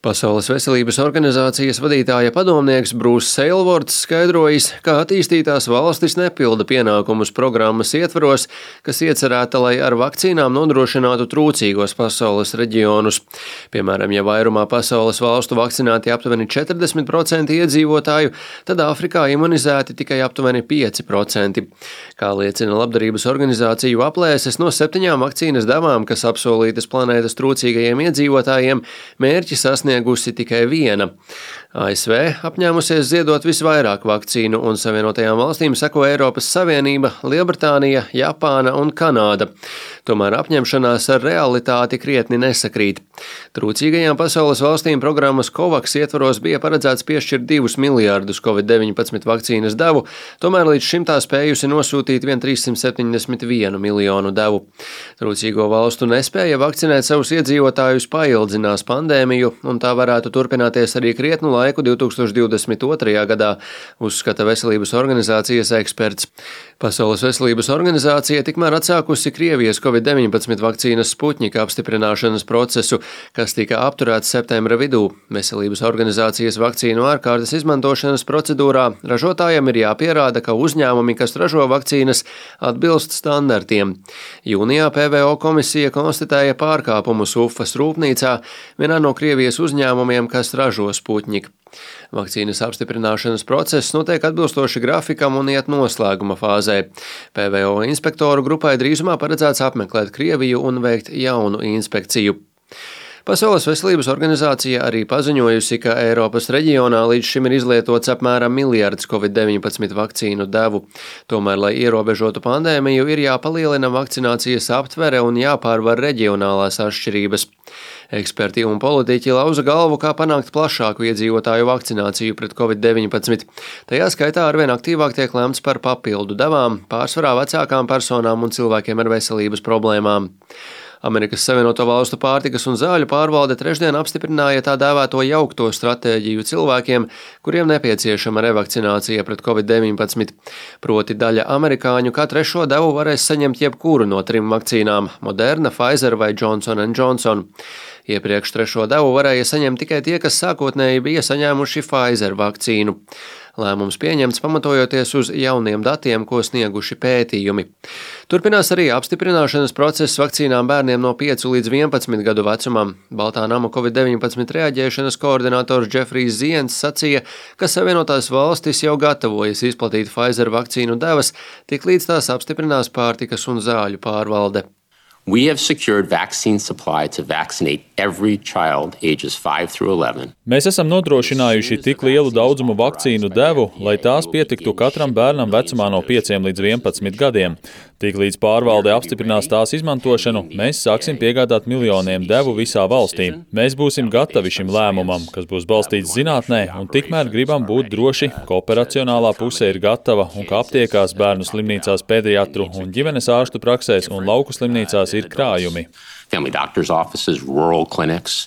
Pasaules veselības organizācijas vadītāja padomnieks Brūss Seilvorts skaidrojis, ka attīstītās valstis nepilda pienākumus programmas ietvaros, kas iecerēta, lai ar vakcīnām nodrošinātu trūcīgos pasaules reģionus. Piemēram, ja vairumā pasaules valstu vakcinēti aptuveni 40% iedzīvotāju, tad Āfrikā imunizēti tikai aptuveni 5%. Kā liecina labdarības organizāciju aplēses, no 7 vakcīnas devām, kas apsolītas planētas trūcīgajiem iedzīvotājiem, mērķi sasniegusi tikai 1. ASV apņēmusies ziedot visvairāk vakcīnu, un Savienotajām valstīm seko Eiropas Savienība, Lielbritānija, Japāna un Kanāda. Tomēr apņemšanās ar realitāti krietni nesakrīt. Trūcīgajām pasaules valstīm programmas COVAX ietvaros bija paredzēts piešķirt 2 miljārdus COVID-19 vakcīnas devu, tomēr līdz šim tā spējusi nosūtīt vien 371 miljonu devu. Trūcīgo valstu nespēja vakcinēt savus iedzīvotājus paildzinās pandēmiju, un tā varētu turpināties arī krietnu laiku 2022. gadā, uzskata Veselības organizācijas eksperts. Pasaules veselības organizācija tikmēr atsākusi Krievijas COVID-19 vakcīnas Sputņika apstiprināšanas procesu, kas tika apturēts septembra vidū. Veselības organizācijas vakcīnu ārkārtas izmantošanas procedūrā ražotājiem ir jāpierāda, ka uzņēmumi, kas ražo vakcīnas, atbilst standartiem. Jūnijā PVO komisija konstatēja pārkāpumus Ufas rūpnīcā, vienā no Krievijas uzņēmumiem, kas ražo Sputņiku. Vakcīnas apstiprināšanas process notiek atbilstoši grafikam un iet noslēguma fāzē. PVO inspektoru grupai drīzumā paredzēts apmeklēt Krieviju un veikt jaunu inspekciju. Pasaules veselības organizācija arī paziņojusi, ka Eiropas reģionā līdz šim ir izlietots apmēram miljards COVID-19 vakcīnu devu. Tomēr, lai ierobežotu pandēmiju, ir jāpalielina vakcinācijas aptvere un jāpārvar reģionālās atšķirības. Eksperti un politiķi lauza galvu, kā panākt plašāku iedzīvotāju vakcināciju pret COVID-19. Tajā skaitā arvien aktīvāk tiek lemts par papildu devām, pārsvarā vecākām personām un cilvēkiem ar veselības problēmām. Amerikas Savienoto Valstu pārtikas un zāļu pārvalde trešdien apstiprināja tā dēvēto jaukto stratēģiju cilvēkiem, kuriem nepieciešama revakcinācija pret COVID-19. Proti daļa amerikāņu kā trešo devu varēs saņemt jebkuru no 3 vakcīnām – Moderna, Pfizer vai Johnson & Johnson. Iepriekš trešo devu varēja saņemt tikai tie, kas sākotnēji bija saņēmuši Pfizer vakcīnu. Lēmums pieņemts pamatojoties uz jauniem datiem, ko snieguši pētījumi. Turpinās arī apstiprināšanas process vakcīnām bērniem no 5 līdz 11 gadu vecumam. Baltā nama COVID-19 reaģēšanas koordinators Džefrijs Zients sacīja, ka Savienotās valstis jau gatavojas izplatīt Pfizer vakcīnu devas, tiklīdz tās apstiprinās pārtikas un zāļu pārvalde. We have secured vaccine supply to vaccinate every child ages 5 through 11. Mēs esam nodrošinājuši tik lielu daudzumu vakcīnu devu, lai tās pietiktu katram bērnam vecumā no 5 līdz 11 gadiem. Tiklīdz pārvalde apstiprinās tās izmantošanu, mēs sāksim piegādāt miljoniem devu visā valstī. Mēs būsim gatavi šim lēmumam, kas būs balstīts zinātnē, un tikmēr gribam būt droši, ka operacionālā puse ir gatava un ka aptiekās, bērnu slimnīcās, pediatru un ģimenes ārstu praksēs un lauku slimnīcās ir krājumi. Family doctors' offices, rural clinics.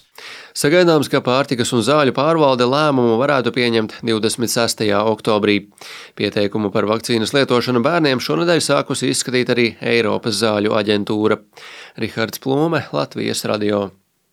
Sagaidāms, ka pārtikas un zāļu pārvalde lēmumu varētu pieņemt 26. oktobrī. Pieteikumu par vakcīnas lietošanu bērniem šonedēļ sākusi izskatīt arī Eiropas zāļu aģentūra. Rihards Plūme, Latvijas radio.